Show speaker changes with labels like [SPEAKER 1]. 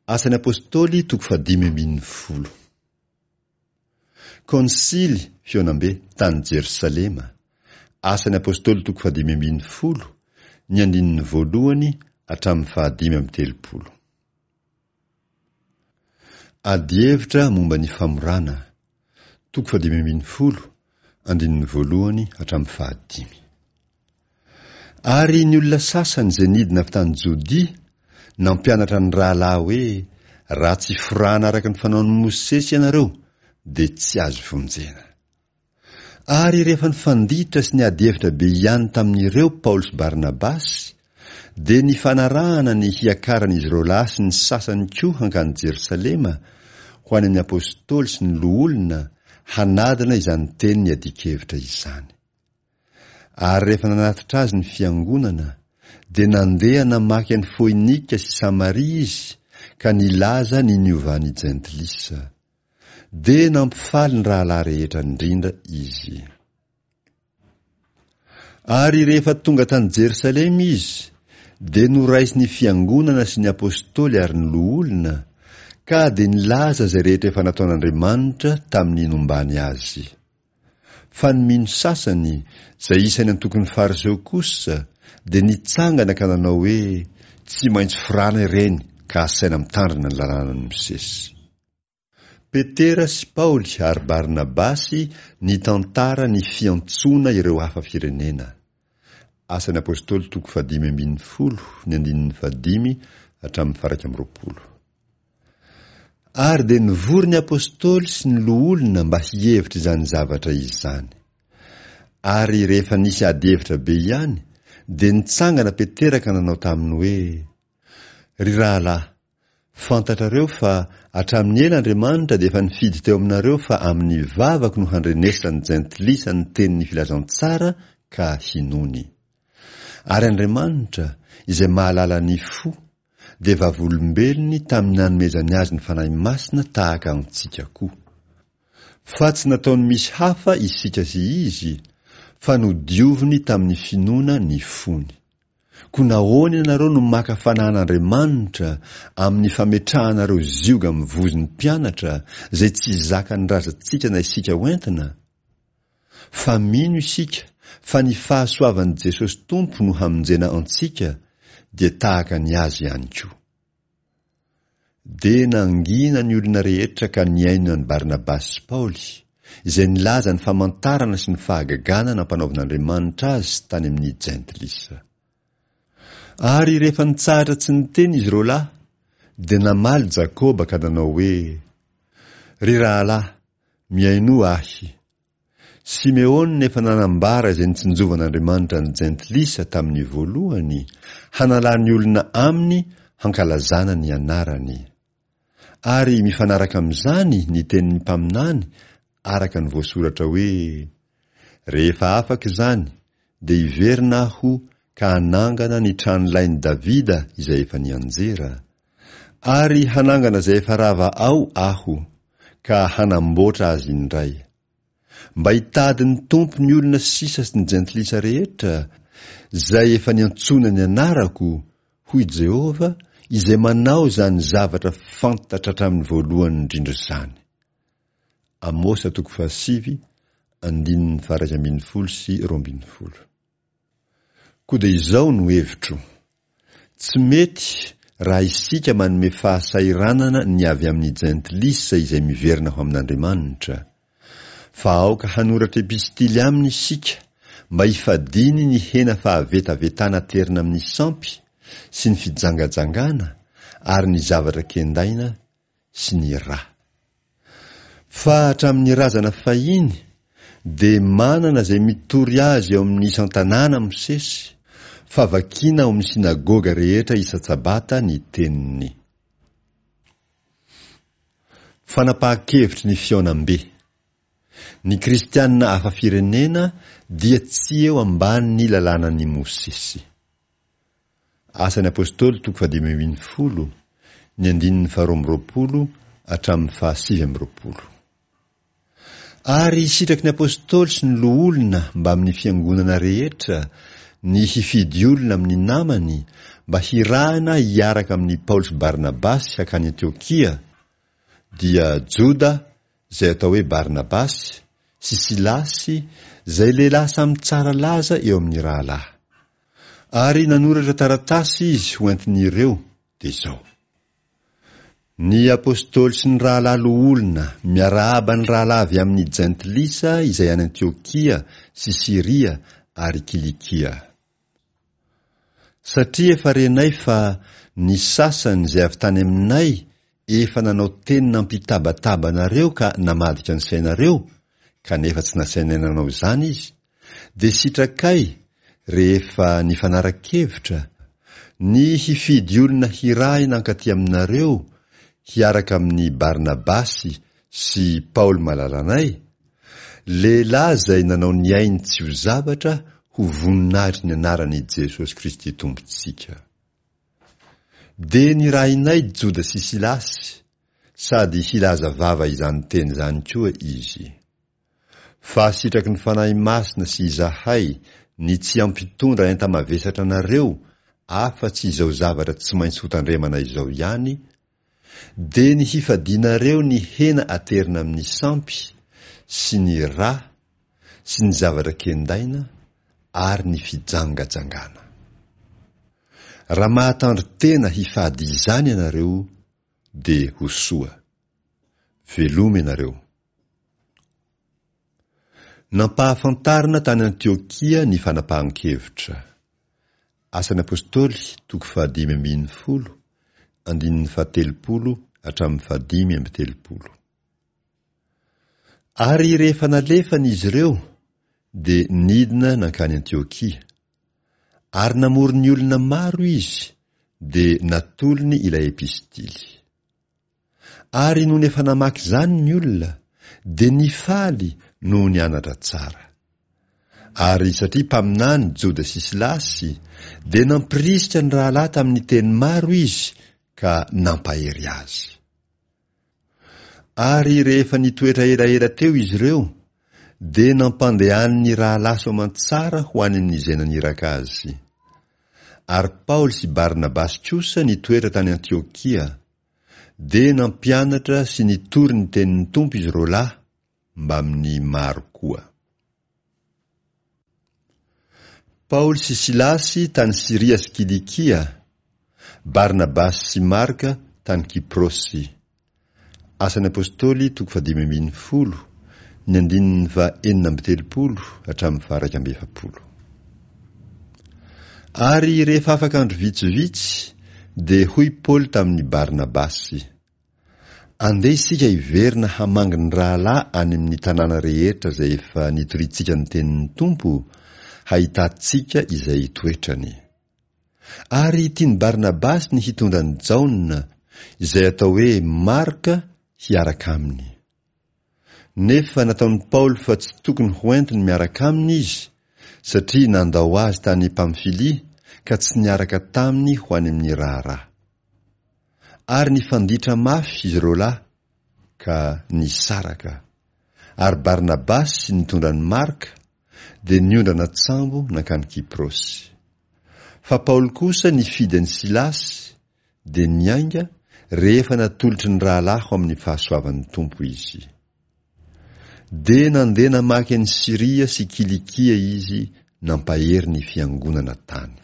[SPEAKER 1] Asan'ny Apostoly toko fahadimy ambin'ny folo. Konsily fihaonambe tany Jerosalema, Asan'ny Apostoly toko fahadimy ambin'ny folo, ny andininy voalohany hatramin'ny fahadimy amby telopolo. Adihevitra momba ny famorana, toko fahadimy ambin'ny folo, andininy voalohany hatramin'ny fahadimy. Ary ny olona sasany izay nidina avy tany Jodia nampianatra ny rahalahy hoe, Raha tsy forahana araka ny fanaon'i Mosesy ianareo, dia tsy azo vonjena. Ary rehefa nifanditra sy niady hevitra be ihany tamin'ireo Paoly sy Barnabasy, dia nifanarahana ny hiakaran'izy ireo lahy sy ny sasany koa hankany Jerosalema, ho any amin'ny apostoly sy ny loholona, hanadina izany teny niadian-kevitra izany. Ary rehefa nanatitra azy ny fiangonana, dia nandeha namaky an'i Foinika sy Samaria izy ka nilaza ny niovan'ny jentilisa. Dia nampifaly ny rahalahy rehetra indrindra izy. Ary rehefa tonga tany Jerosalema izy, dia noraisin'ny fiangonana sy ny apostoly ary ny loholona, ka dia nilaza izay rehetra efa nataon'Andriamanitra tamin'ny nombany azy. Fa ny mino sasany, izay isan'ny antokon'ny Fariseo kosa, dia nitsangana ka nanao hoe, Tsy maintsy forana ireny ka asaina mitandrina ny lalànan'i Mosesy. Petera sy Paoly ary Barnabasy nitantara ny fiantsoana ireo hafa firenena. Asan'ny Apostoly toko fahadimy ambin'ny folo, ny andininy fahadimy hatramin'ny faha-21. Ary dia nivory ny apostoly sy ny loholona mba hihevitra izany zavatra izany. Ary rehefa nisy ady hevitra be ihany, dia nitsangana Petera ka nanao taminy hoe, Ry rahalahy, fantatrareo fa hatramin'ny ela Andriamanitra dia efa nifidy teo aminareo fa amin'ny vavako no handrenesan'ny jentilisa ny tenin'ny filazantsara ka hinoany. Ary Andriamanitra, izay mahalala ny fo, dia vavolombelony tamin'ny nanomezany azy ny Fanahy Masina tahaka antsika koa. Fa tsy nataony misy hafa isika sy izy, fa nodioviny tamin'ny finoana ny fony. Koa nahoana ianareo no maka fanahy an'Andriamanitra amin'ny fametrahanareo zioga amin'ny vozon'ny mpianatra izay tsy zakan'ny razantsika na isika hoentina? Fa mino isika fa ny fahasoavan'i Jesosy Tompo no hamonjena antsika dia tahaka ny Azy ihany koa. Dia nangina ny olona rehetra ka nihaino an'i Barnabasy sy Paoly, izay nilaza ny famantarana sy ny fahagagana nampanaovin'Andriamanitra azy tany amin'ny Jentilisa. Ary rehefa nitsahatra tsy niteny izy roalahy, dia namaly Jakoba ka nanao hoe, Ry rahalahy, Mihainoa ahy. Simeona efa nanambara izay nitsinjovan'Andriamanitra ny Jentilisa tamin'ny voalohany, hanalany olona aminy hankalazana ny anarany. Ary mifanaraka amin'izany ny tenin'ny mpaminany araka ny voasoratra hoe, Rehefa afaka izany, dia hiverina Aho ka hanangana ny tranolain'i Davida izay efa nianjera, ary hanangana izay efa rava ao Aho, ka hanamboatra azy indray. Mba hitady ny Tompo ny olona sisa sy ny jentilisa rehetra, izay efa niantsoana ny anarako, hoy Jehovah, izay manao izany zavatra fantatra hatramin'ny voalohany indrindra izany. Amosa toko fahasivy, andininy faha-11 sy 12. Koa dia izao no hevitro, Tsy mety raha isika manome fahasahiranana ny avy amin'ny jentilisa izay miverina ho amin'Andriamanitra, fa aoka hanoratra epistily aminy isika mba hifadiany ny hena fahavetavetana aterina amin'ny sampy sy ny fijangajangana ary ny zavatra kendaina sy ny ra. Fa hatramin'ny razana fahiny dia manana izay mitory azy eo amin'ny isan-tanàna Mosesy, fa vakiana ao amin'ny synagoga rehetra isan-tsabata ny teniny. Fanapahan-kevitry ny fihaonambe. Ny kristiana hafa firenena dia tsy eo ambanin'ny lalànan'i Mosesy. Asan'ny Apostoly toko fahadimy ambin'ny folo, ny andininy faharoa amby roapolo hatramin'ny fahasivy amby roapolo. Ary sitraky ny Apostoly sy ny loholona mbamin'ny fiangonana rehetra ny hifidy olona amin'ny namany mba hirahina hiaraka amin'i Paoly sy Barnabasy hakany Antiokia, dia Joda izay atao hoe Barnabasy, sy Silasy, izay lehilahy samy tsara laza eo amin'ny rahalahy. Ary nanoratra taratasy izy ho entin'ireo, dia izao. Ny apostoly sy ny rahalahy loholona miarahaba ny rahalahy avy amin'ny Jentilisa izay any Antiokia sy Syria ary Kilikia. Satria efa renay fa ny sasany izay avy tany aminay efa nanao teny nampitabataba anareo ka namadika ny sainareo, kanefa tsy nasainay nanao izany izy, dia sitrakay, rehefa nifanara-kevitra, ny hifidy olona hirahina hankaty aminareo hiaraka amin'i Barnabasy sy Paoly malalanay, lehilahy izay nanao ny ainy tsy ho zavatra ho voninahitry ny anaran'i Jesosy Kristy Tompontsika. Dia nirahinay Joda sy Silasy, sady hilaza vava izany teny izany koa izy. Fa sitraky ny Fanahy Masina sy izahay ny tsy hampitondra enta-mavesatra anareo afa-tsy izao zavatra tsy maintsy hotandremana izao ihany, dia ny hifadianareo ny hena aterina amin'ny sampy, sy ny ra, sy ny zavatra kendaina, ary ny fijangajangana. Raha mahatandrin-tena hifady izany ianareo, dia ho soa. Veloma ianareo. Nampahafantarina tany Antiokia ny fanapahan-kevitra. Asan'ny Apostoly, toko fahadimy ambin'ny folo, andininy fahatelopolo hatramin'ny fahadimy amby telopolo. Ary rehefa nalefany izy ireo, dia nidina nankany Antiokia. Ary namory ny olona maro izy, dia natolony ilay epistily. Ary nony efa namaky izany ny olona, dia nifaly noho ny anatra tsara. Ary satria mpaminany Joda sy Silasy, dia nampirisika ny rahalahy tamin'ny teny maro izy ka nampahery azy. Ary rehefa nitoetra elaela teo izy ireo, dia nampandehanin'ny rahalahy soamantsara ho any amin'izay naniraka azy. Ary Paoly sy Barnabasy kosa nitoetra tany Antiokia, dia nampianatra sy nitory ny tenin'ny Tompo izy roalahy mbamin'ny maro koa. Paoly sy Silasy tany Syria sy Kilikia, Barnabasy sy Marka tany Kyprosy. Asan'ny Apostoly toko fahadimy ambin'ny folo, ny andininy faha-36 hatramin'ny faha-41. Ary rehefa afaka andro vitsivitsy, dia hoy Paoly tamin'i Barnabasy, Andeha isika hiverina hamangy ny rahalahy any amin'ny tanàna rehetra izay efa nitoriantsika ny tenin'ny Tompo, hahitantsika izay itoetrany. Ary tian'i Barnabasy ny hitondra an'i Jaona, izay atao hoe Marka, hiaraka aminy. Nefa nataon'i Paoly fa tsy tokony hoentiny miaraka aminy izy, satria nandao azy tany Pamfilia ka tsy niaraka taminy ho any amin'ny raharaha. Ary nifanditra mafy izy roalahy ka nisaraka. Ary Barnabasy nitondra an'i Marka, dia niondrana an-tsambo nankany Kyprosy. Fa Paoly kosa nifidy an'i Silasy, dia niainga, rehefa natolotry ny rahalahy ho amin'ny fahasoavan'ny Tompo izy. Dia nandeha namaky an'i Syria sy Kilikia izy nampahery ny fiangonana tany.